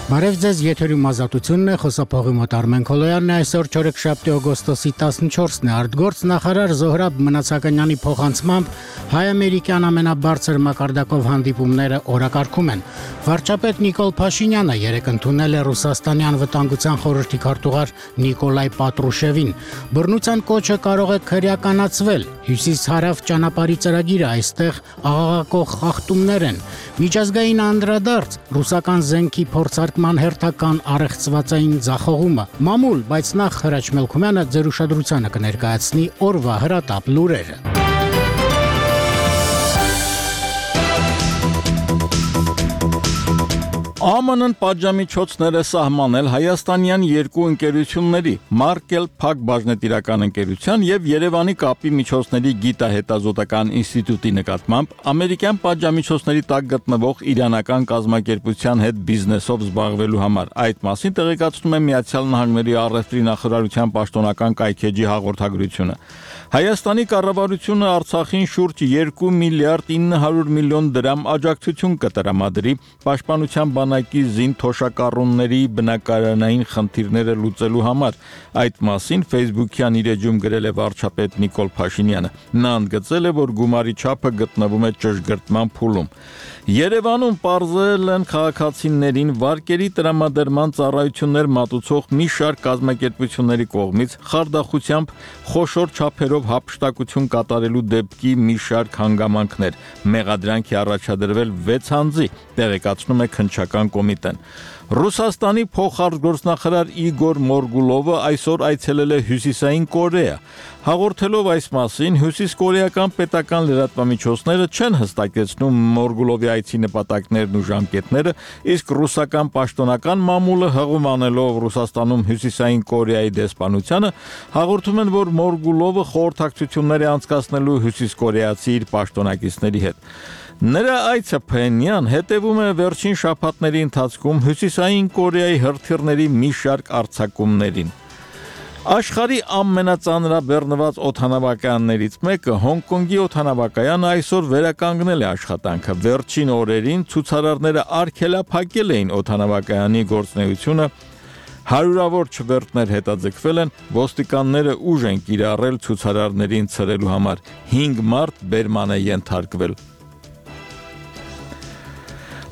Բարև ձեզ, եթերում ազատությունն է, խոսափողի մոտ Արմեն Քոլոյանն է, այսօր չորեքշաբթի օգոստոսի 14-ն է, արտգործ նախարար Զոհրաբ Մնացականյանի փոխանցմամբ հայ-ամերիկյան ամենաբարձր մակարդակով հանդիպումները օրակարգում են։ Վարչապետ Նիկոլ Փաշինյանը երեկ ընդունել է Ռուսաստանի անվտանգության խորհրդի քարտուղար Նիկոլայ Պատրուշևին։ Բռնության կոչը կարող է քրեականացվել։ Հյուսիս-հարավ ճանապարհի ծրագիրը այստեղ աղաղակող խախտումներ են։ Միջազգային անդրադարձ ռուսական զենքի փորձարկման հերթական առեղծվածային ձախողումը։ Մամուլ, բայց նախ Հրաչ Մելքումյանը ձեր ուշադրությանը կներկայացնի օրվա հրատապ լուրերը։ ԱՄՆ-ն պատժամիջոցներ է սահմանել հայաստանյան երկու ընկերությունների՝ Markel Փակ բաժնետիրական ընկերության եւ Երևանի կապի միջոցների գիտահետազոտական ինստիտուտի նկատմամբ ամերիկյան պատժամիջոցների տակ գտնվող իրանական կազմակերպության հետ բիզնեսով զբաղվելու համար։ Այդ մասին տեղեկացնում է Միացյալ Նահանգների առևտրի նախարարության պաշտոնական կայքեջի հաղորդագրությունը։ Հայաստանի կառավարությունը Արցախին շուրջ 2 միլիարդ 900 միլիոն դրամ աջակցություն կտրամադրի պաշտպանության բանակի զինթոշակառունների բնակարանային խնդիրները լուծելու համար։ Այդ մասին Facebook-յան իր էջում գրել է վարչապետ Նիկոլ Փաշինյանը։ Նա ընդգծել է, որ գումարի չափը գտնվում է ճշգրտման փուլում։ Երևանում պարզել են քաղաքացիներին վարկերի տրամադրման ծառայություններ մատուցող մի շարք կազմակերպությունների կողմից խարդախությամբ խոշոր չափերով հափշտակություն կատարելու դեպքի մի շարք հանգամանքներ։ Մեղադրանք է առաջադրվել 6 անձի, տեղեկացնում է քննչական կոմիտեն։ Ռուսաստանի փոխարտգործնախարար Իգոր Մորգուլովը այսօր այցելել է Հյուսիսային Կորեա։ Հաղորդելով այս մասին, հյուսիսկորեական պետական լրատվամիջոցները չեն հստակեցնում Մորգուլովի այցի նպատակներն ու ժամկետները, իսկ ռուսական պաշտոնական մամուլը հղում անելով Ռուսաստանում Հյուսիսային Կորեայի դեսպանությանը, հաղորդում են, որ Մորգուլովը խորհրդակցություններ է անցկացնելու հյուսիսկորեացի իր պաշտոնակիցների հետ։ Նրա այցը Փենյան հետևում է վերջին շաբաթների ընթացքում Հյուսիսային Կորեայի հրթիռների մի շարք արձակումներին։ Աշխարհի ամենածանրաբեռնված օդանավակայաններից մեկը Հոնկոնգի օդանավակայանը այսօր վերականգնել է աշխատանքը։ Վերջին օրերին ցուցարարները արգելափակել էին օդանավակայանի գործունեությունը, հարյուրավոր չվերթներ հետաձգվել են, ոստիկանները ուժ են կիրառել ցուցարարներին ցրելու համար։ 5 մարդ բերման է ենթարկվել։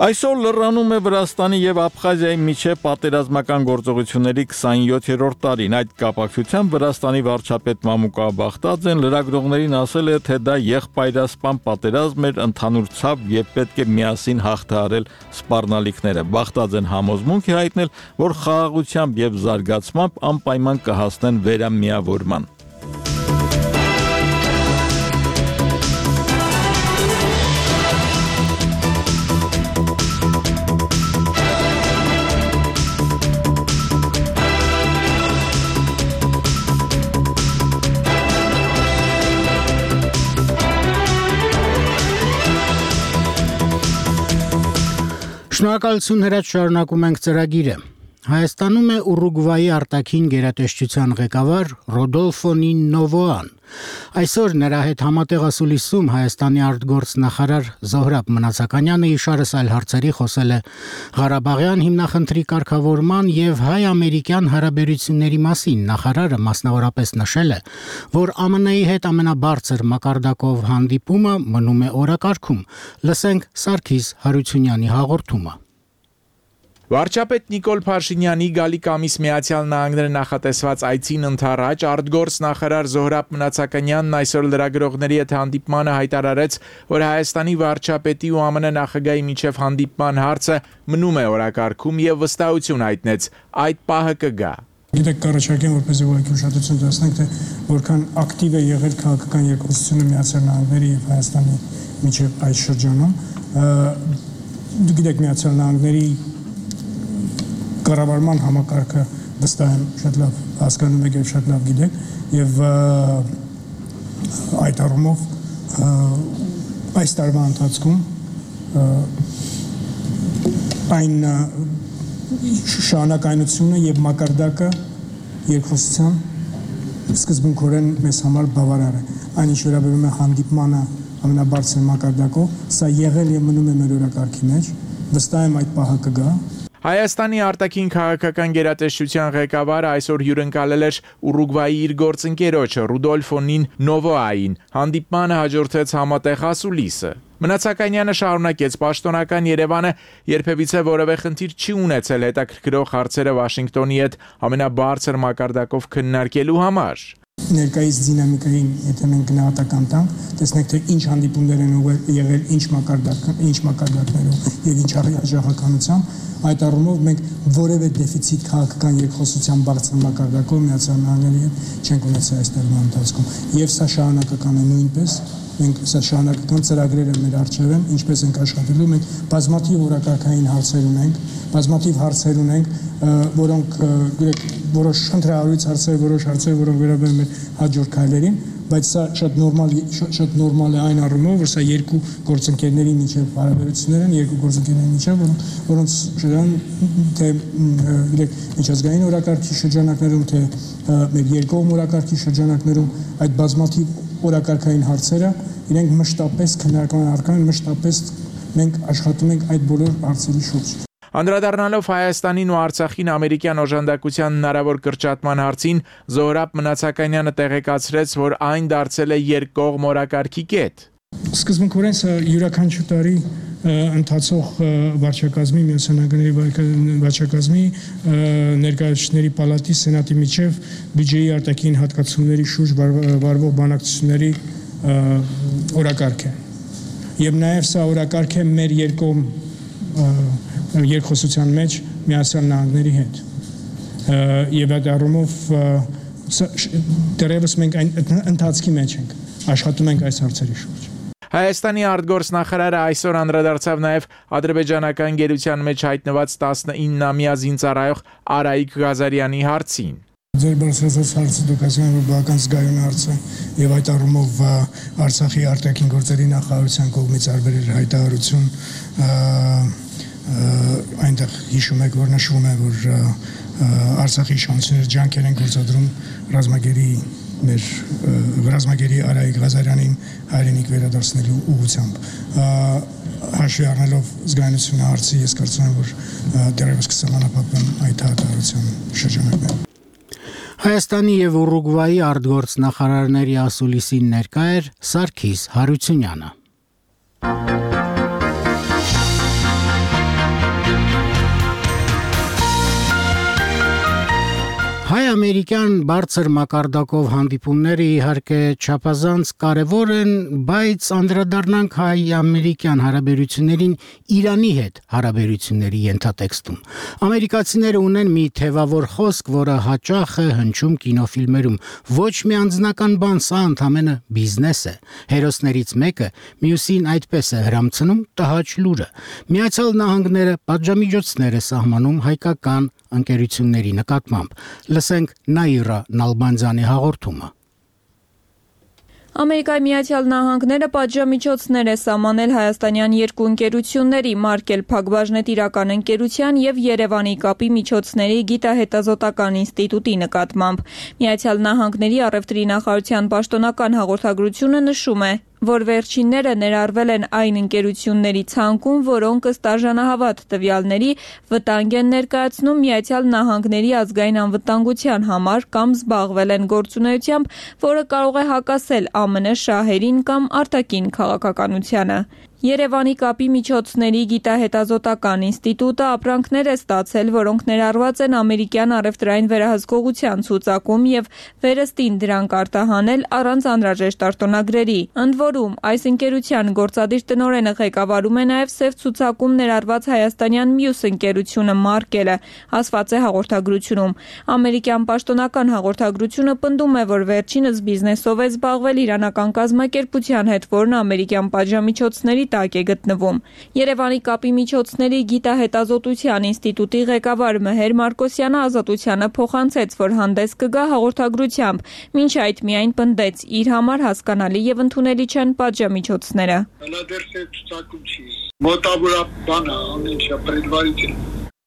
Այսօր լրանում է Վրաստանի եւ Աբխազիայի միջև պատերազմական գործողությունների 27-րդ տարին։ Այդ կապակցությամբ Վրաստանի վարչապետ Մամուկա Բախտաձեն լրագրողներին ասել է, թե դա եղբայրասպան պատերազմ էր, ընդհանուր ցավ եւ պետք է միասին հաղթահարել սպառնալիքները։ Բախտաձեն համոզմունք է հայտնել, որ խաղաղությամբ եւ զարգացմամբ անպայման կհասնեն վերամիավորման։ Շնորհակալություն Հրաչ, շարունակում ենք ծրագիրը։ Հայաստանում է Ուրուգվայի արտաքին գերատեսչության ղեկավար Ռոդոլֆո Նինովոան։ Այսօր նրա հետ համատեղ ասուլիսում Հայաստանի արտգործնախարար Զոհրաբ Մնացականյանը իշարս այլ հարցերի խոսել է Ղարաբաղյան հիմնախնդրի կարգավորման եւ հայ-ամերիկյան հարաբերությունների մասին։ Նախարարը մասնավորապես նշել է, որ ԱՄՆ-ի հետ ամենաբարձր մակարդակով հանդիպումը մնում է օրակարգում։ Լսենք Սարգիս Հարությունյանի հաղորդումը։ Վարչապետ Նիկոլ Փաշինյանի գալիք ամիս Միացյալ Նահանգները նախատեսված այցին ընդառաջ արտգործնախարար Զոհրաբ Մնացականյանն այսօր լրագրողների հետ հանդիպմանը հայտարարեց, որ Հայաստանի վարչապետի ու ԱՄՆ նախագահի միջև հանդիպման հարցը մնում է օրակարգում եւ վստահություն հայտնեց, այդ պահը կգա։ Գիտեք, կառաջարկեմ, որպեսզի ուղղակի ուշադրություն դարձնենք, թե որքան ակտիվ է եղել քաղաքական երկխոսությունը Միացյալ Նահանգների եւ Հայաստանի միջև այս շրջանում։ Գիտեք, Միացյալ Նահանգների կառավարման համակարգը վստահ եմ շատ լավ հասկանում եք եւ շատ լավ գիտեք եւ այդ առումով այս տարվա ընթացքում այն շարունակայնությունը եւ մակարդակը երկխոսության սկզբունքորեն մեզ համար բավարար է։ Այն ինչ վերաբերում է հանդիպմանը ամենաբարձր մակարդակով, սա եղել եւ մնում է մեր օրակարգի մեջ, վստահ եմ այդ պահը կգա։ Հայաստանի արտաքին քաղաքական գերատեսչության ղեկավարը այսօր հյուրընկալել էր Ուրուգվայի իր գործընկերոջը Ռուդոլֆո Նովոային։ Հանդիպմանը հաջորդեց համատեղ ասուլիսը։ Մնացականյանը շարունակեց պաշտոնական Երևանը երբևիցե որևէ խնդիր չի ունեցել հետաքրքրող հարցերը Վաշինգտոնի հետ ամենաբարձր մակարդակով քննարկելու համար։ Ներկայիս դինամիկային, եթե մենք գնահատական տանք, տեսնենք թե ինչ հանդիպումներ են եղել, ինչ մակարդակներով եւ ինչ արժեքականությամբ, այդ առումով մենք որևէ դեֆիցիտ քաղաքական երկխոսության բարձր մակարդակով Միացյալ Նահանգների հետ չենք ունեցել այս տարվա ընթացքում։ Եվ սա շարունակական է նույնպես, մենք սա շարունակական ծրագրերը մեր առջև են, ինչպես ենք աշխատելու, մենք բազմաթիվ օրակարգային հարցեր ունենք, որոնք որոշ ընտրահարույց հարցեր, որոշ հարցեր, որոնք վերաբերում են հաջորդ քայլերին, բայց սա շատ նորմալ է այն առումով, որ սա երկու գործընկերների միջև հարաբերություններ են, երկու գործընկերների միջև, որոնց թե միջազգային օրակարգի շրջանակներում, թե մեր երկկողմ օրակարգի շրջանակներում այդ բազմաթիվ օրակարգային հարցերը իրենք մշտապես քննարկման առարկան են, մշտապես մենք աշխատում ենք այդ բոլոր հարցերի շուրջ։ Անդրադառնալով Հայաստանին ու Արցախին ամերիկյան օժանդակության հնարավոր կրճատման հարցին, Զոհրաբ Մնացականյանը տեղեկացրեց, որ այն դարձել է երկկողմ օրակարգի կետ։ Սկզբունքորեն սա յուրաքանչյուր տարի ընթացող վարչակազմի, Միացյալ Նահանգների վարչակազմի, ներկայացուցիչների պալատի, սենատի միջև բյուջեի արտաքին հատկացումների շուրջ վարվող բանակցությունների օրակարգ է։ Եվ նաև սա օրակարգ է մեր երկկողմ երկխոսության մեջ Միացյալ Նահանգների հետ։ Եվ այդ առումով դեռևս մենք այն ընթացքի մեջ ենք, աշխատում ենք այս հարցերի շուրջ։ Հայաստանի արտգործնախարարը այսօր անդրադարձավ նաև ադրբեջանական գերության մեջ հայտնված 19-ամյա զինծառայող Արայիկ Ղազարյանի հարցին։ Ձեր բարձրացած հարցը դուք ասում եք, որ բավական զգայուն հարց է, եւ այդ առումով Արցախի արտաքին գործերի նախարարության կողմից արվել էր հայտարարություն, այնտեղ հիշում եք, որ նշվում է, որ Արցախի իշխանությունները ջանքեր են գործադրում ռազմագերի Արայիկ Ղազարյանին հայրենիք վերադարձնելու ուղղությամբ։ Հաշվի առնելով զգայունությունը հարցի, ես կարծում եմ, որ դեռևս կսահմանափակվեն այդ հայտարարության շրջանակներում։ Հայաստանի եւ Ուրուգվայի արտգործնախարարների ասուլիսին ներկա էր Սարգիս Հարությունյանը։ Հայ-ամերիկյան բարձր մակարդակով հանդիպումները իհարկե չափազանց կարևոր են, բայց անդրադառնանք հայ-ամերիկյան հարաբերություններին Իրանի հետ հարաբերությունների ենթատեքստում։ Ամերիկացիները ունեն մի թևավոր խոսք, որը հաճախ է հնչում կինոֆիլմերում. ոչ մի անձնական բան, սա ընդամենը բիզնես է։ Հերոսներից մեկը մյուսին այդպես է հրամցնում տհաճ լուրը։ Միացյալ Նահանգները պատժամիջոցներ է սահմանում հայկական ընկերությունների նկատմամբ։ Լսենք Նաիրա Նալբանդյանի հաղորդումը։ Ամերիկայի Միացյալ Նահանգները պատժամիջոցներ է սահմանել հայաստանյան երկու ընկերությունների՝ Markel Փակbaşնետիրական ընկերության եւ Երևանի կապի միջոցների գիտահետազոտական ինստիտուտի նկատմամբ։ Միացյալ Նահանգների առևտրի նախարարության պաշտոնական հաղորդագրությունը նշում է, որ վերջինները ներառվել են այն ընկերությունների ցանկում, որոնք ըստ արժանահավատ տվյալների վտանգ են ներկայացնում Միացյալ Նահանգների ազգային անվտանգության համար կամ զբաղվել են գործունեությամբ, որը կարող է հակասել ԱՄՆ շահերին կամ արտաքին քաղաքականությանը։ Երևանի կապի միջոցների գիտահետազոտական ինստիտուտը ապրանքներ է ստացել, որոնք ներառված են ամերիկյան առևտրային վերահսկողության ցուցակում եւ վերստին դրանք արտահանել առանց անհրաժեշտ արտոնագրերի։ Ընդ որում, այս ընկերության գործադիր տնօրենը ղեկավարում է նաեւ սև ցուցակում ներառված հայաստանյան մյուս ընկերությունը Markel-ը, ասված է հաղորդագրությունում։ Ամերիկյան պաշտոնական հաղորդագրությունը պնդում է, որ վերջինս բիզնեսով է զբաղվել իրանական կազմակերպության հետ, որն ամերիկյան պատժամիջոցների տակ է գտնվում։ Երևանի կապի միջոցների գիտահետազոտության ինստիտուտի ղեկավար Մեհեր Մարկոսյանը Ազատությանը փոխանցեց, որ հանդես կգա հաղորդագրությամբ, մինչ այդ միայն պնդեց, իր համար հասկանալի եւ ընդունելի չեն պատժամիջոցները։ Մոտավորաբանը ամենշա предваритель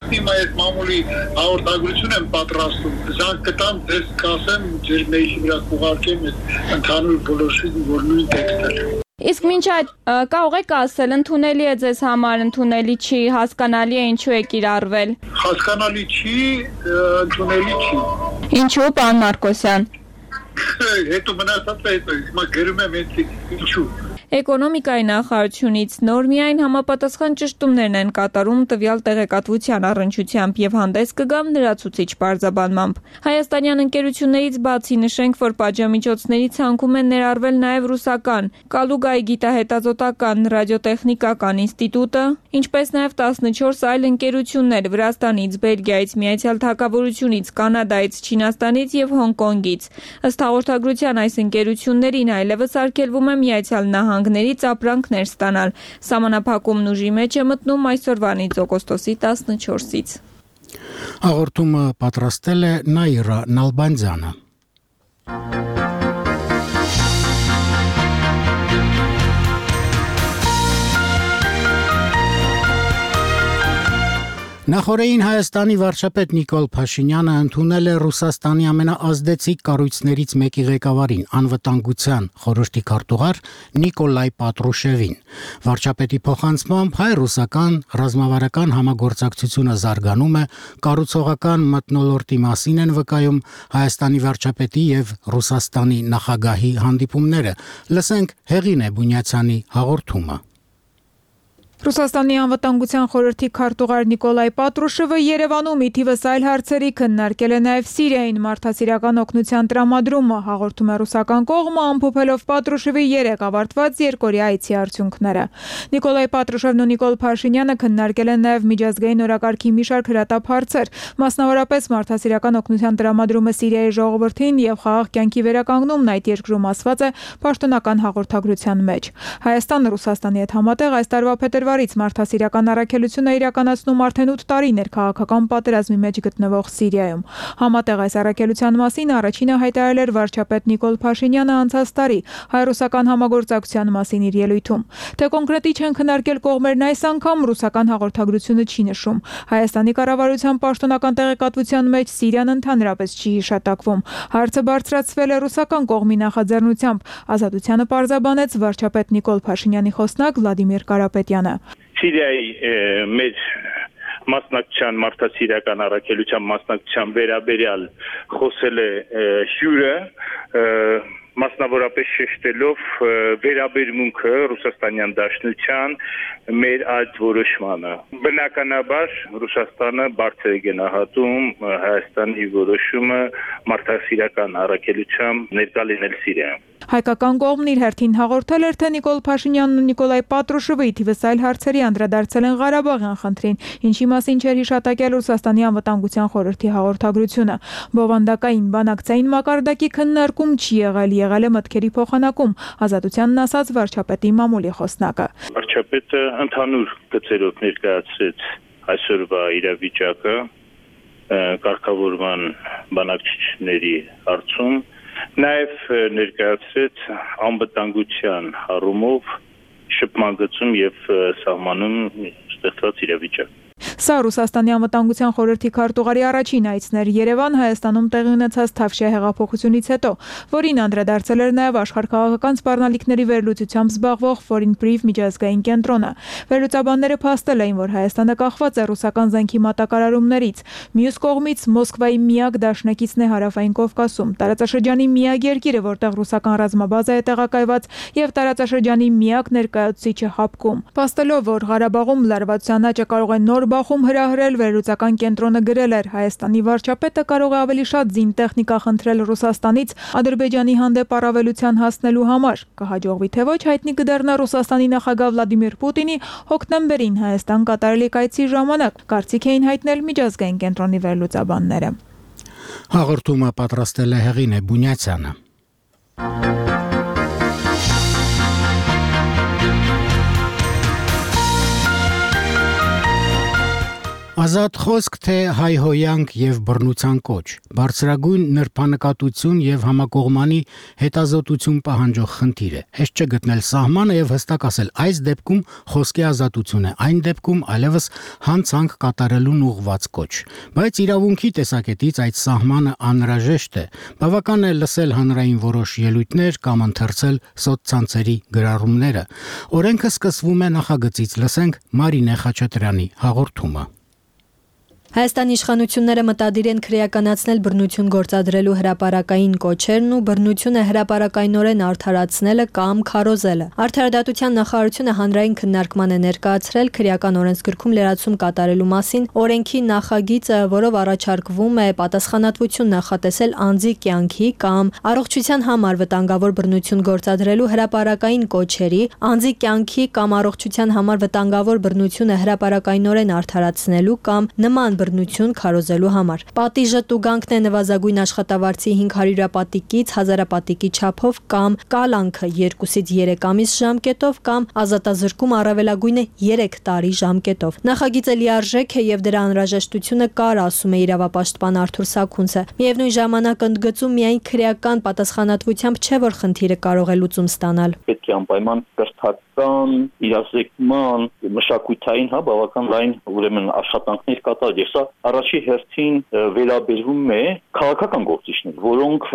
Հիմա այդ մամուլի հաղորդագրություն եմ պատրաստում, զանգ կտամ, ձեզ կասեմ, ձեր մեյլի վրա կուղարկեմ ընդհանուր բոլորին, որ նույն տեքստը Իսկ մինչ այդ կարող եք ասել, ընդունելի է ձեզ համար, ընդունելի չի, հասկանալի է ինչու է կիրառվել։ Հասկանալի չի, ընդունելի չի։ Ինչու, պարոն Մարկոսյան։ Հետո մնացածը հետո, հիմա գրում եմ ինչու։ Էկոնոմիկայի նախարարությունից նոր միայն համապատասխան ճշտումներն են կատարում տվյալ տեղեկատվության առնչությամբ եւ հանդես կգամ լրացուցիչ պարզաբանմամբ։ Հայաստանյան ընկերություններից բացի նշենք, որ պատժամիջոցների ցանկում են ներառվել նաեւ ռուսական Կալուգայի գիտահետազոտական ռադիոտեխնիկական ինստիտուտը, ինչպես նաեւ 14 այլ ընկերություններ Վրաստանից, Բելգիայից, Միացյալ Թագավորությունից, Կանադայից, Չինաստանից եւ Հոնկոնգից։ Ըստ հաղորդագրության այս ընկերություններին այլևս արգելվում է Միացյալ Նահանգներից ապրանքներ ստանալ։ Սահմանափակումն ուժի մեջ է մտնում այսօրվանից օգոստոսի 14-ից։ Հաղորդումը պատրաստել է Նաիրա Նալբանդյանը։ Նախորդին Հայաստանի վարչապետ Նիկոլ Փաշինյանը ընդունել է Ռուսաստանի ամենաազդեցիկ կառույցներից մեկի ղեկավարին, անվտանգության խորհրդի քարտուղար Նիկոլայ Պատրուշևին։ Վարչապետի փոխանցմամբ հայ-ռուսական ռազմավարական համագործակցությունը զարգանում է, կառուցողական մթնոլորտի մասին են վկայում Հայաստանի վարչապետի եւ Ռուսաստանի նախագահի հանդիպումները։ Լսենք Հեղինե Բունյացյանի հաղորդումը։ Ռուսաստանի անվտանգության խորհրդի քարտուղար Նիկոլայ Պատրուշևը Երևանում ի թիվս այլ հարցերի քննարկել է նաև Սիրիային մարդասիրական օգնության տրամադրումը, հաղորդում է ռուսական կողմը, ամփոփելով Պատրուշևի 3 ավարտված երկօրյա այցի արդյունքները։ Նիկոլայ Պատրուշևն ու Նիկոլ Փաշինյանը քննարկել են նաև միջազգային օրակարգի մի շարք հրատապ հարցեր, մասնավորապես մարդասիրական օգնության տրամադրումը Սիրիայի ժողովրդին եւ խաղաղ կյանքի վերականգնումն այդ երկրում, ասված է պաշտոնական հաղորդագրության մեջ։ Հայաստանը Ռուսաստանի հետ համատեղ այս տարվա փետրվարից մարդասիրական առաքելություն է իրականացնում արդեն 8 տարիներ քաղաքական պատերազմի մեջ գտնվող Սիրիայում։ Համատեղ այս առաքելության մասին առաջինը հայտարարել էր վարչապետ Նիկոլ Փաշինյանը անցած տարի հայ-ռուսական համագործակցության մասին իր ելույթում։ Թե կոնկրետ ինչ են քննարկել կողմերն այս անգամ ռուսական հաղորդագրությունը չի նշում։ Հայաստանի կառավարության պաշտոնական տեղեկատվության մեջ Սիրիան ընդհանրապես չի հիշատակվում։ Հարցը բարձրացվել է ռուսական կողմի նախաձեռնությամբ։ Ազատությանը պարզաբանեց վարչապետ Նիկոլ Փաշինյանի խոսնակ Վլադիմիր Կարապետյանը։ Սիրիայի մեր մասնակցության մարդասիրական առաքելության մասնակցության վերաբերյալ խոսել է հյուրը, մասնավորապես շեշտելով վերաբերմունքը Ռուսաստանյան Դաշնության մեր այդ որոշմանը։ Բնականաբար Ռուսաստանը բարձր է գնահատում Հայաստանի որոշումը մարդասիրական առաքելությամբ ներկա լինել Սիրիայում։ Հայկական կողմն իր հերթին հաղորդել էր, թե Նիկոլ Փաշինյանն ու Նիկոլայ Պատրուշևը ի թիվս այլ հարցերի անդրադարձել են Ղարաբաղյան խնդրին, ինչի մասին չէր հիշատակել Ռուսաստանի անվտանգության խորհրդի հաղորդագրությունը։ Բովանդակային բանակցային մակարդակի քննարկում չի եղել է մտքերի փոխանակում, Ազատությանն ասաց վարչապետի մամուլի խոսնակը։ Վարչապետը ընդհանուր գծերով ներկայացրեց այսօրվա իրավիճակը կարգավորման բանակցությունների հարցում, նաև ներկայացրեց անվտանգության առումով շփման գծում եւ սահմանում ստեղծված իրավիճակ։ Սա Ռուսաստանի անվտանգության խորհրդի քարտուղարի առաջին այցն էր Երևան Հայաստանում տեղի ունեցած Թավշյա հեղափոխությունից հետո, որին անդրադարձել էր նաև աշխարհքաղաքական սպառնալիքների վերլուծությամբ զբաղվող Foreign Brief միջազգային կենտրոնը։ Վերլուծաբանները փաստել էին, որ Հայաստանը կախված է ռուսական զենքի մատակարարումներից։ Մյուս կողմից Մոսկվայի միակ դաշնակիցն է Հարավային Կովկասում, տարածաշրջանի միակ երկիրը, որտեղ ռուսական ռազմաբազա է տեղակայված, եւ տարածաշրջանի միակ ներկայացուցիչը Հապկում։ Փաստելով, որ Ղարաբաղում լարվածության աճը կարող է նոր բախում հրահրել, վերլուծական կենտրոնը գրել էր. Հայաստանի վարչապետը կարող է ավելի շատ զինտեխնիկա խնդրել Ռուսաստանից Ադրբեջանի հանդեպ առավելության հասնելու համար։ Կհաջողվի թե ոչ, հայտնի կդառնա Ռուսաստանի նախագահ Վլադիմիր Պուտինի հոկտեմբերին Հայաստան կատարելիք այցի ժամանակ, կարծիք էին հայտնել միջազգային կենտրոնի վերլուծաբանները։ Հաղորդումը պատրաստել է Հեղինե Բունյացյանը։ Ազատ խոսք, թե հայհոյանք եւ բռնության կոչ, բարձրագույն նրբանկատություն եւ համակողմանի հետազոտություն պահանջող խնդիր է։ Հեշտ չէ գտնել սահմանը եւ հստակ ասել այս դեպքում խոսքի ազատություն է, այն դեպքում այլևս հանցանք կատարելուն ուղղված կոչ։ Բայց իրավունքի տեսակետից այդ սահմանը անհրաժեշտ է։ Բավական է լսել հանրային որոշ ելույթներ կամ ընթերցել սոցցանցերի գրառումները։ Օրենքը սկսվում է նախագծից, լսենք Մարինե Խաչատրյանի հաղորդումը։ Հայաստանի իշխանությունները մտադիր են քրեականացնել բռնություն գործադրելու հրապարակային կոչերն ու բռնությունը հրապարակայնորեն արդարացնելը կամ քարոզելը։ Արդարադատության նախարարությունը հանրային քննարկման է ներկայացրել քրեական օրենսգրքում լրացում կատարելու մասին օրենքի նախագիծը, որով առաջարկվում է պատասխանատվություն նախատեսել անձի կյանքի կամ առողջության համար վտանգավոր բռնություն գործադրելու հրապարակային կոչերի, անձի կյանքի կամ առողջության համար վտանգավոր բռնությունը հրապարակայնորեն արդարացնելու կամ նման բռնություն քարոզելու համար։ Պատիժը տուգանքն է նվազագույն աշխատավարձի 500 պատիկից 1000 պատիկի չափով կամ կալանքը 2-ից 3 ամիս ժամկետով կամ ազատազրկում առավելագույնը 3 տարի ժամկետով։ Նախագիծը լիարժեք է եւ դրա անհրաժեշտությունը կար, ասում է իրավապաշտպան Արթուր Սաքունցը։ Միևնույն ժամանակ ընդգծում միայն քրեական պատասխանատվությամբ չէ, որ խնդիրը կարող է լուծում ստանալ։ Պետք է անպայման կրթական, իրազեկման, մշակութային, բավական լայն ուրեմն աշխատանքներ կատարել։ Սա առաջի հերթին վերաբերում է քաղաքական գործիչներին, որոնք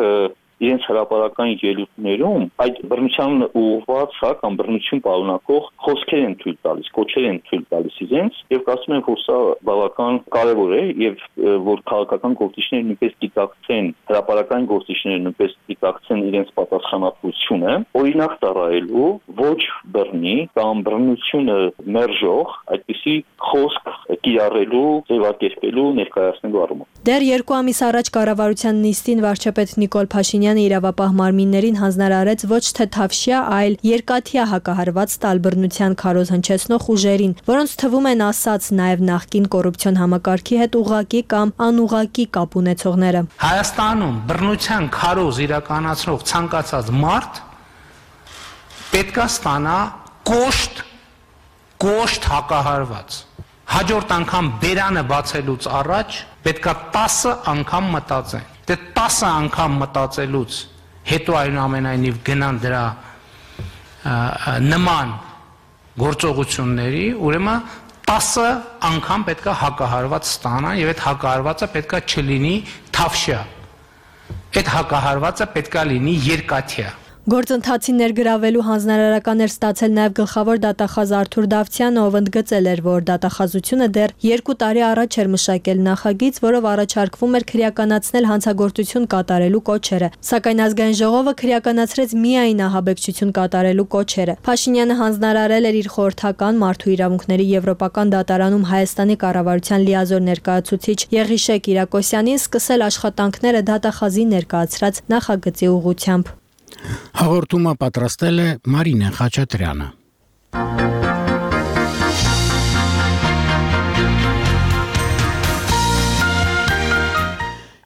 իրենց հրապարակային ելույթներում այդ բռնության ուղղված կամ բռնություն պարունակող խոսքեր են թույլ տալիս, կոչեր են թույլ տալիս իրենց եւ կարծում եմ, որ սա բավական կարեւոր է եւ որ քաղաքական գործիչները նույնպես դիտակցեն, հրապարակային գործիչները նույնպես դիտակցեն իրենց պատասխանատվությունը, օրինակ ծառայելու ոչ բռնի կամ բռնությունը մերժող այդպիսի խոսք կիրառելու, ձևակերպելու, ներկայացնելու առումով։ Դեռ 2 ամիս առաջ կառավարության նիստին վարչապետ Նիկոլ Փաշինյանը իրավապահ մարմիններին հանձնարարեց ոչ թե թավշյա, այլ երկաթյա հակահարված տալ բռնության քարոզ հնչեցնող ուժերին, որոնց թվում են ասած նաև նախկին կոռուպցիոն համակարգի հետ ուղղակի կամ անուղղակի կապ ունեցողները։ Հայաստանում բռնության քարոզ իրականացնող ցանկացած մարդ պետք է ստանա կոշտ հակահարված։ Հաջորդ անգամ բերանը բացելուց առաջ պետքա 10 անգամ մտածեն։ Դե 10 անգամ մտածելուց հետո այնուամենայնիվ գնան դրա նման գործողությունների, ուրեմն 10 անգամ պետքա հակահարված ստանան եւ այդ հակահարվածը պետքա չլինի թավշյա։ Այդ հակահարվածը պետքա լինի երկաթյա։ Գործընթացին ներգրավելու հանձնարարական էր ստացել նաև գլխավոր դատախազ Արթուր Դավթյանը, ով ընդգծել էր, որ դատախազությունը դեռ 2 տարի առաջ էր մշակել նախագիծ, որով առաջարկվում էր քրեականացնել հանցագործություն կատարելու կոչերը, սակայն ազգային ժողովը քրեականացրեց միայն ահաբեկչություն կատարելու կոչերը։ Փաշինյանը հանձնարարել էր իր խորհրդական մարդու իրավունքների եվրոպական դատարանում Հայաստանի կառավարության լիազոր ներկայացուցիչ Եղիշե Կիրակոսյանին սկսել աշխատանքները դատախազի ներկայացրած նախագծի ուղղությամբ։ Հաղորդումը պատրաստել է Մարինե Խաչատրյանը։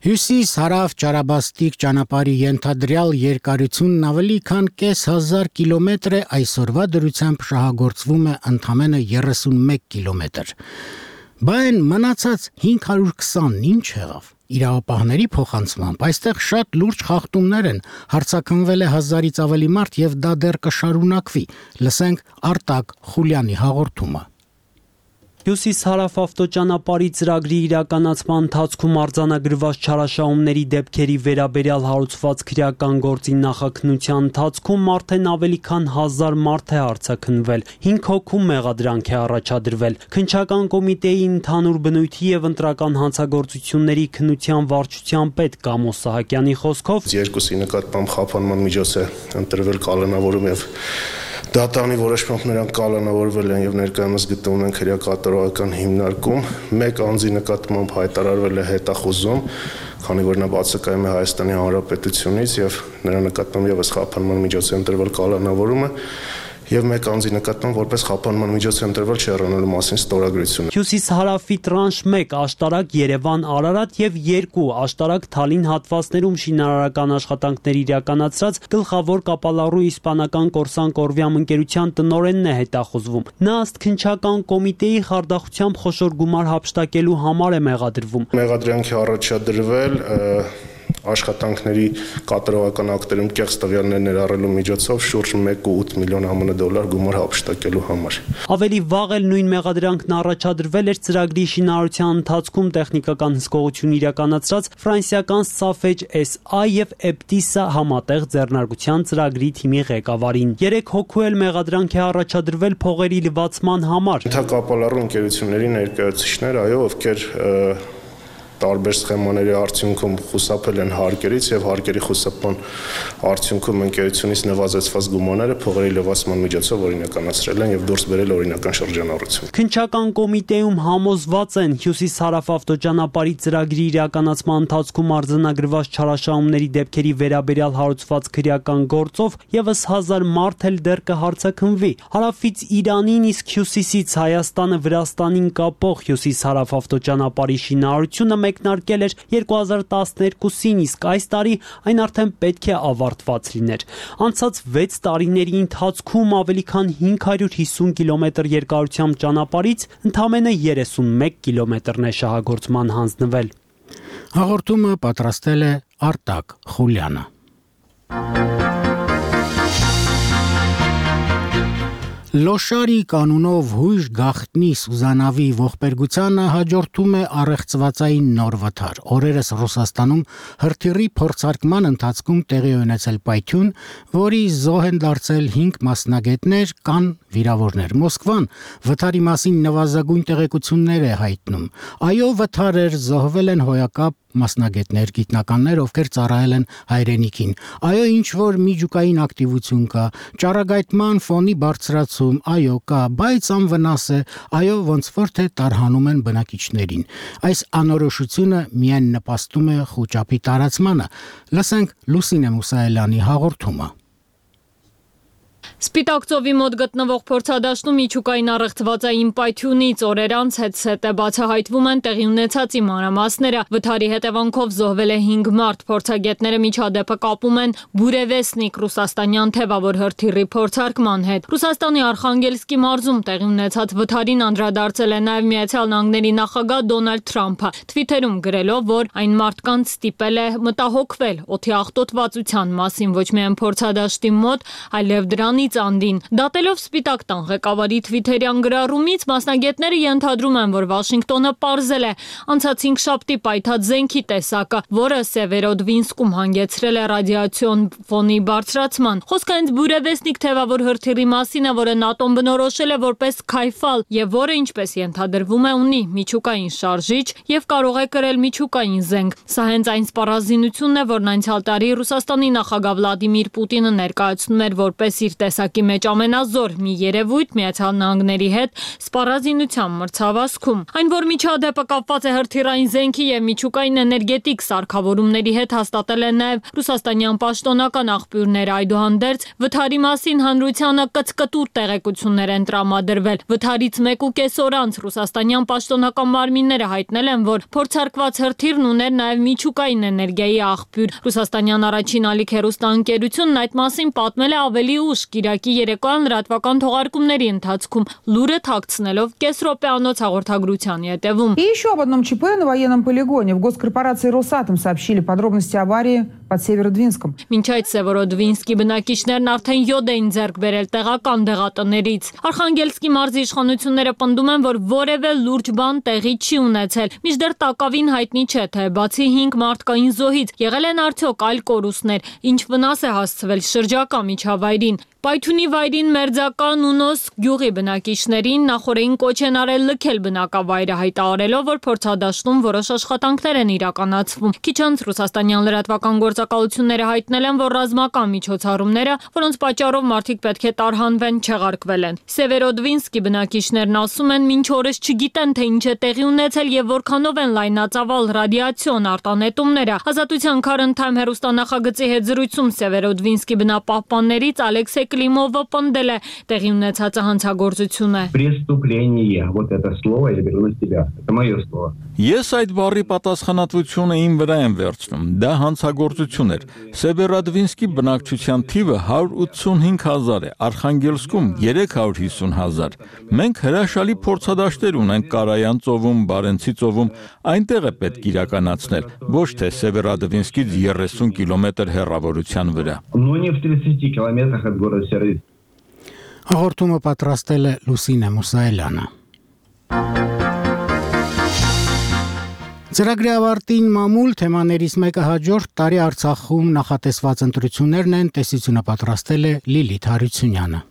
Հյուսիս-հարավ ճարաբաստիկ ճանապարհի ենթադրյալ երկարությունն ավելի քան 5,000 կիլոմետր է, այսօրվա դրությամբ շահագործվում է ընդամենը 31 կիլոմետր։ Բան մնացած 520-ն ինչ եղավ։ Իրավապահների փոխանցմամբ այստեղ շատ լուրջ խախտումներ են, հարցաքննվել է 1000-ից ավելի մարդ եւ դա դեռ կշարունակվի։ Լսենք Արտակ Խուլյանի հաղորդումը։ Հյուսիս-հարավ ավտոճանապարհի ծրագրի իրականացման ընթացքում արձանագրված չարաշահումների դեպքերի վերաբերյալ հարուցված քրեական գործի նախաքննության ընթացքում արդեն ավելի քան 1000 մարդ է արձաքննվել, 5 հոգու մեղադրանք է առաջադրվել։ Քննչական կոմիտեի ընդհանուր բնույթի եւ ընտրական հանցագործությունների քննության վարչության պետ Կամո Սահակյանի խոսքով երկուսի նկատմամբ խափանման միջոց է ընտրվել կալանավորում եւ դատանի որոշմամբ նրանք կալանավորվել են եւ ներկայումս գտնվում են քրեակատարողական հիմնարկում, մեկ անձի նկատմամբ հայտարարվել է հետախուզում, քանի որ նա բացակայում է Հայաստանի Հանրապետությունից եւ նրա նկատմամբ եւս խափանման միջոց է ընտրվել կալանավորումը եւ մեկ անձի նկատմամբ որպես խափանման միջոց է ընտրվել չհեռանալու մասին ստորագրությունը։ Հյուսիս-հարավի տրանշ 1 աշտարակ Երևան-Արարատ եւ 2 աշտարակ Թալին հատվածներում շինարարական աշխատանքներ իրականացրած գլխավոր կապալառու իսպանական Կորսան Կորվիամ ընկերության տնօրենն է հետախուզվում։ Նա ըստ քննչական կոմիտեի խարդախությամբ խոշոր գումար հափշտակելու համար է մեղադրվում։ Մեղադրանքի առաջադրվել աշխատանքների կատարողական ակտերում կեղծ տվյալներ ներառելու միջոցով շուրջ 1.8 միլիոն ԱՄՆ դոլար գումար հափշտակելու համար։ Ավելի վաղ էլ նույն մեղադրանքն առաջադրվել էր ծրագրի շինարարության ընթացքում տեխնիկական հսկողություն իրականացրած ֆրանսիական Safej SA եւ Eptis-ը համատեղ ձեռնարկության ծրագրի թիմի ղեկավարին։ 3 հոգու էլ մեղադրանք է առաջադրվել փողերի լվացման համար։ Կապալառու ընկերությունների ներկայացուցիչներ, ովքեր տարբեր սխեմաների արդյունքում խուսափել են հարկերից եւ հարկերի խուսափման արդյունքում ընկերությունից նվազեցված գումարները փողերի լվացման միջոցով օրինականացրել են եւ դուրս բերել օրինական շրջանառություն։ Քննչական կոմիտեում համոզված են հյուսիս-հարավ ավտոճանապարհի ծրագրի իրականացման ընթացքում արձանագրված չարաշահումների դեպքերի վերաբերյալ հարուցված քրեական գործով եւս 1000 մարդ էլ դեռ կհարցաքննվի։ Հարավից Իրանին, իսկ հյուսիսից Հայաստանը Վրաստանին կապող հյուսիս-հարավ ավտոճանապարհի շինարարությունը մեկնարկել էր 2012-ին, իսկ այս տարի այն արդեն պետք է ավարտված լիներ։ Անցած 6 տարիների ընթացքում ավելի քան 550 կիլոմետր երկարությամբ ճանապարհից ընդամենը 31 կիլոմետրն է շահագործման հանձնվել։ Հաղորդումը պատրաստել է Արտակ Խուլյանը։ Լոշարի կանունով հույժ գաղտնի Սուզանավի ողբերգությանը հաջորդում է առեղծվածային նոր վթար։ Օրերս Ռուսաստանում հրթիռի փորձարկման ընթացքում տեղի ունեցել պայթյուն, որի զոհ են դարձել 5 մասնագետներ, կան վիրավորներ։ Մոսկվան վթարի մասին նվազագույն տեղեկություններ է հայտնում։ Այո, վթար էր, զոհվել են հոյակապ մասնագետներ, գիտնականներ, ովքեր ծառայել են հայրենիքին։ Այո, ինչ որ միջուկային ակտիվություն կա, ճառագայթման ֆոնի բարձրացում, այո, կա, բայց անվնաս է, այո, ոնց որ թե տարհանում են բնակիչներին։ Այս անորոշությունը միայն նպաստում է խոճապի տարածմանը։ Լսենք Լուսինե Մուսայելյանի հաղորդումը։ Սպիտակ ծովի մոտ գտնվող փորձադաշտում միջուկային առեղծվածային պայթյունից օրեր անց հետ-սետե բացահայտվում են տեղի ունեցածի մանրամասները։ Վթարի հետևանքով զոհվել է 5 մարդ։ Փորձագետները միջադեպը կապում են Բուրևեսնիկ ռուսաստանյան թևավոր հրթիռի փորձարկման հետ։ Ռուսաստանի Արխանգելսկի մարզում տեղի ունեցած վթարին անդրադարձել է նաև Միացյալ Նահանգների նախագահ Դոնալդ Թրամփը, Twitter-ում գրելով, որ այն մարդկանց ստիպել է մտահոգվել օդի աղտոտվածության մասին ոչ միայն փորձադաշտի մոտ, այլև դրանից անդին։ Դատելով Սպիտակ տան ղեկավարի Twitter-յան գրառումից, մասնագետները ենթադրում են, որ Վաշինգտոնը պարզել է անցած 5 շաբթի պայթած զենքի տեսակը, որը Սևերոդվինսկում հանգեցրել է ռադիացիոն ֆոնի բարձրացման։ Խոսքը հենց Բուրևեսնիկ թևավոր հրթիռի մասին է, որը ՆԱՏՕ-ն բնորոշել է որպես քայֆալ եւ որը, ինչպես ենթադրվում է, ունի միջուկային շարժիչ եւ կարող է կրել միջուկային զենք։ Սա հենց այն սպառազինությունն է, որն անցյալ տարի Ռուսաստանի նախագահ Վլադիմիր Պուտինը ներկայացնում էր որպես իր տեսակի մեջ ամենազոր մի երևույթ Միացյալ Նահանգների հետ սպառազինության մրցավազքում։ Այն, որ միջադեպը կապված է հրթիռային զենքի եւ միջուկային էներգետիկ սարքավորումների հետ, հաստատել են նաեւ ռուսաստանյան պաշտոնական աղբյուրները։ Այդուհանդերձ վթարի մասին հանրությանը կծկտուր տեղեկություններ են տրամադրվել։ Վթարից 1.5 օր անց ռուսաստանյան պաշտոնական մարմինները հայտնել են, որ փորձարկված հրթիռն ուներ նաեւ միջուկային էներգիայի աղբյուր։ Ռուսաստանյան առաջին ալիք հեռուստաընկերությունն այդ մասին պատմել է ավելի ուշ Կիրակի երեկոյան լրատվական թողարկումների ընթացքում, լուրը թաքցնելով կես րոպեանոց հաղորդագրության ետևում։ И еще об одном ЧП на военном полигоне. В госкорпорации «Росатом» сообщили подробности аварии под Северодвинском. Մինչ այդ Սևերոդվինսկի բնակիչներն արդեն յոդ էին ձեռք բերել տեղական դեղատներից։ Արխանգելսկի մարզի իշխանությունները պնդում են, որ որևէ լուրջ բան տեղի չի ունեցել։ Մինչդեռ տակավին հայտնի չէ, թե բացի 5 մարդկային զոհից եղել են արդյոք այլ կորուստներ, ինչ վնաս է հասցվել շրջակա միջավայրին։ Պայթյունի վայրին մերձական Նունոս գյուղի բնակիչներին նախորդին կոչ են արել լքել բնակավայրը, հայտարարելով, որ փորձադաշտում որոշ աշխատանքներ են իրականացվում։ Քիչ անց ռուսաստանյան լրատվական գործակալությունները հայտնել են, որ ռազմական միջոցառումները, որոնց պատճառով մարդիկ պետք է տարհանվեն, չեղարկվել են։ Սևերոդվինսկի բնակիչներն ասում են, մինչ օրս չգիտեն, թե ինչ է տեղի ունեցել եւ որքանով են լայնածավալ ռադիացիոն արտանետումները։ Ազատության քարընթամ հեռուստանախագծի հետ զրույցում Սևերոդվինսկի բնապահպաններից Ալեքսեյ Կլիմովը պնդել է տեղի ունեցածը հանցագործություն է։ Преступление. Вот это слово я беру на себя. Это мое слово. Ես այդ բառի պատասխանատվությունը իմ վրա եմ վերցնում։ Դա հանցագործություն էր։ Սևերոդվինսկի բնակչության թիվը 185,000 է, Արխանգելսկում 350,000։ Մենք հրաշալի փորձադաշտեր ունենք Կարայան ծովում, Բարենցի ծովում, այնտեղ է պետք իրականացնել, ոչ թե Սևերոդվինսկից 30 կիլոմետր հեռավորության վրա։ Но не в 30 километрах от города Северодвинск. Հաղորդումը պատրաստել է Լուսինե Մուսայելյանը։ Ծրագրի ավարտին մամուլ թեմաներից մեկը հաջորդ տարի Արցախում նախատեսված ընտրություններն են, տեսությունը պատրաստել է Լիլիթ Հարությունյանը։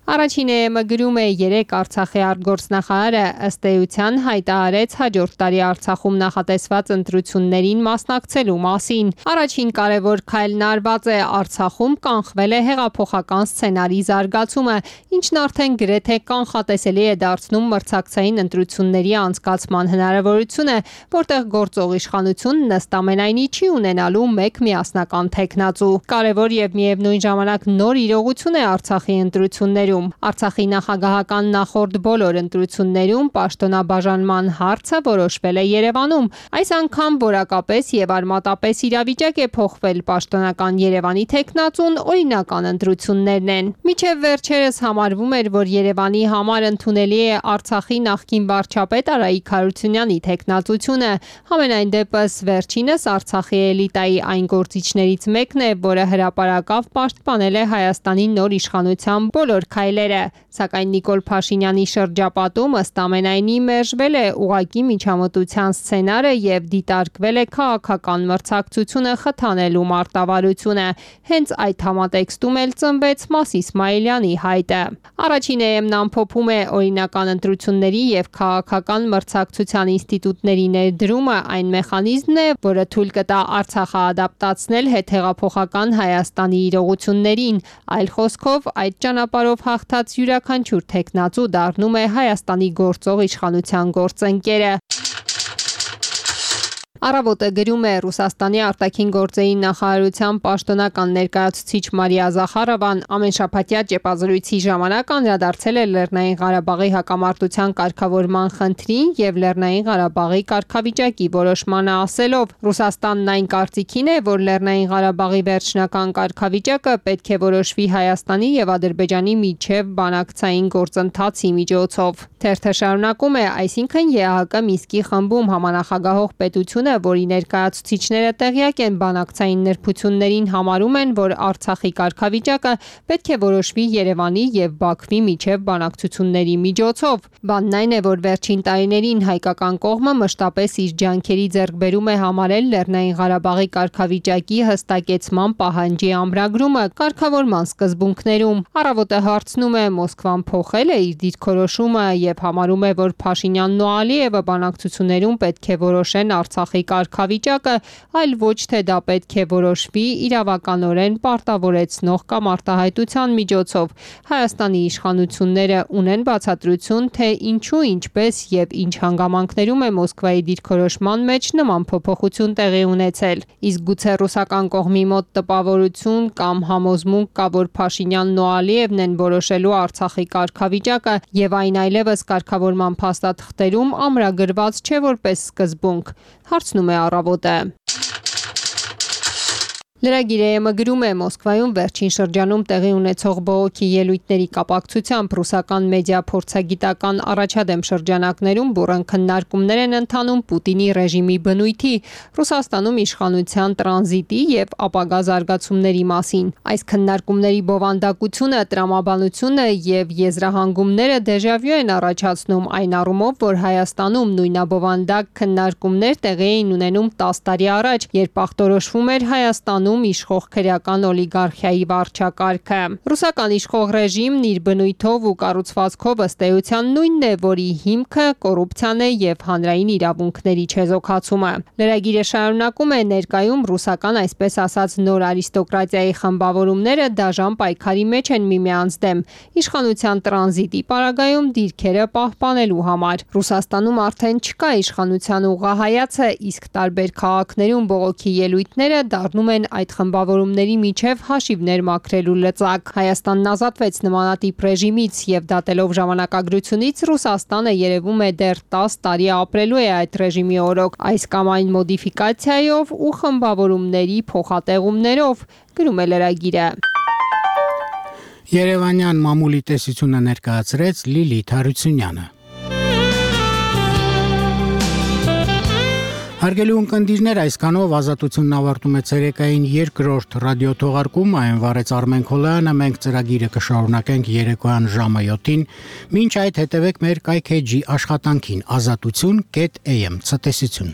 Առաջինը գրում է 3 Արցախի արտգործնախարարը ըստ էության հայտարարեց հաջորդ տարի Արցախում նախատեսված ընտրություններին մասնակցելու մասին։ Առաջին կարևոր քայլն արված է Արցախում կանխվել է հեղափոխական սցենարի զարգացումը, ինչն արդեն գրեթե կանխատեսելի է դարձնում մրցակցային ընտրությունների անցկացման հնարավորությունը, որտեղ գործող իշխանությունն ըստ ամենայնի չի ունենալու մեկ միասնական թեկնածու։ Կարևոր եւ միևնույն ժամանակ նոր իրողություն է Արցախի ընտրություններում։ Արցախի նախագահական նախորդ բոլոր ընտրություններում պաշտոնաբաժանման հարցը որոշվել է Երևանում։ Այս անգամ որակապես եւ արմատապես իրավիճակ է փոխվել պաշտոնական Երևանի թեկնածուն օրինական ընտրություններն են։ Մինչև վերջերս համարվում էր, որ Երևանի համար ընդունելի է Արցախի նախկին վարչապետ Արայիկ Հարությունյանի թեկնածությունը։ Համենայն դեպս վերջինս Արցախի էլիտայի այն գործիչներից մեկն է, որը հրապարակավ պաշտպանել է Հայաստանի նոր իշխանության բոլոր քայլերը, սակայն Նիկոլ Փաշինյանի շրջապատում ըստ ամենայնի մերժվել է ուղղակի միջամտության սցենարը եւ դիտարկվել է քաղաքական մրցակցությունը խթանելու մարտավարությունը։ Հենց այդ համատեքստում էլ ծնվեց Մաս Իսմայելյանի հայտը։ Առաջին EM-ն ամփոփում է օրինական ընտրությունների եւ քաղաքական մրցակցության ինստիտուտների ներդրումը այն մեխանիզմն է, որը թույլ կտա Արցախը ադապտացնել հետհեղափոխական Հայաստանի իրողություններին։ Այլ խոսքով, այդ ճանապարհով հաղթած յուրաքանչյուր թեկնածու դառնում է Հայաստանի գործող իշխանության գործընկերը։ Առավոտը գրում է Ռուսաստանի արտաքին գործերի նախարարության պաշտոնական ներկայացուցիչ Մարիա Զախարովան ամենշաբաթյա ճեպազրույցի ժամանակ անդրադարձել է Լեռնային Ղարաբաղի հակամարտության կարգավորման խնդրին եւ Լեռնային Ղարաբաղի կարգավիճակի որոշմանը ասելով. Ռուսաստանն այն կարծիքին է, որ Լեռնային Ղարաբաղի վերջնական կարգավիճակը պետք է որոշվի Հայաստանի եւ Ադրբեջանի միջև բանակցային գործընթացի միջոցով։ Թերթը շարունակում է, այսինքն ԵԱՀԿ Մինսկի խմբում համանախագահող պետությունը, որի ներկայացուցիչները տեղյակ են բանակցային նրբություններին, համարում են, որ Արցախի կարգավիճակը պետք է որոշվի Երևանի եւ Բաքվի միջև բանակցությունների միջոցով։ Բանն այն է, որ վերջին տարիներին հայկական կողմը մշտապես իր ջանքերի ձեռքբերում է համարել Լեռնային Ղարաբաղի կարգավիճակի հստակեցման պահանջի ամրագրումը կարգավորման սկզբունքներում։ Առավոտը հարցնում է Մոսկվան փոխել է իր դիրքորոշումը եւ համարում է, որ Փաշինյանն ու Ալիևը բանակցություններում պետք է որոշեն Արցախի կարգավիճակը, այլ ոչ թե դա պետք է որոշվի իրավականորեն պարտավորեցնող կամ արտահայտության միջոցով։ Հայաստանի իշխանությունները ունեն բացատրություն, թե ինչու, ինչպես եւ ինչ հանգամանքներում է Մոսկվայի դիրքորոշման մեջ նման փոփոխություն տեղի ունեցել։ Իսկ գուցե ռուսական կողմի մոտ տպավորություն կամ համոզմունք կա, որ Փաշինյանն ու Ալիևն են որոշելու Արցախի կարգավիճակը եւ այն այլևս կարգավորման փաստաթղթերում ամրագրված չէ որպես սկզբունք։ Հարցնում է Առավոտը։ Լրագիրը գրում է Մոսկվայում վերջին շրջանում տեղի ունեցող բողոքի ելույթների կապակցությամբ ռուսական մեդիա փորձագիտական առաջադեմ շրջանակներում բուռն քննարկումներ են ընթանում Պուտինի ռեժիմի բնույթի, Ռուսաստանում իշխանության տրանզիտի եւ ապագա զարգացումների մասին։ Այս քննարկումների բովանդակությունը, տրամաբանությունը եւ եզրահանգումները դեժավյու են առաջացնում այն առումով, որ Հայաստանում նույնաբովանդակ քննարկումներ տեղի էին ունենում 10 տարի առաջ, երբ ախտորոշվում էր Հայաստանում Ռուսաստանում իշխող քրեական օլիգարխիայի վարչակարգը։ Ռուսական իշխող ռեժիմն իր բնույթով ու կառուցվածքով ըստ էության նույնն է, որի հիմքը կոռուպցիան է եւ հանրային իրավունքների չեզոքացումը։ Լրագիրը շարունակում է ներկայում ռուսական այսպես ասած նոր արիստոկրատիայի խմբավորումները դաժան պայքարի մեջ են միմյանց դեմ իշխանության տրանզիտի պարագայում դիրքերը պահպանելու համար։ Ռուսաստանում արդեն չկա իշխանության ուղղահայացը, իսկ տարբեր քաղաքներում բողոքի ելույթները դառնում են այդ խմբավորումների միջև հաշիվներ մաքրելու լծակ։ Հայաստանն ազատվեց նմանատիպ ռեժիմից եւ դատելով ժամանակագրությունից Ռուսաստանը երևում է դեռ 10 տարի ապրելու է այդ ռեժիմի օրոք, այս կամ այն մոդիֆիկացիայով ու խմբավորումների փոխատեղումներով, գրում է լրագիրը։ Երևանյան մամուլի տեսությունը ներկայացրեց Լիլիթ Հարությունյանը։ Հարգելի ունկնդիրներ, այսքանով ազատությունն ավարտում է ցերեկային երկրորդ ռադիոթողարկումը, այն վարեց Արմեն Քոլյանը, մենք ծրագիրը կշարունակենք երեկոյան ժամը 7-ին, մինչ այդ հետևեք մեր կայքեջի աշխատանքին azatutun.am ցտեսություն։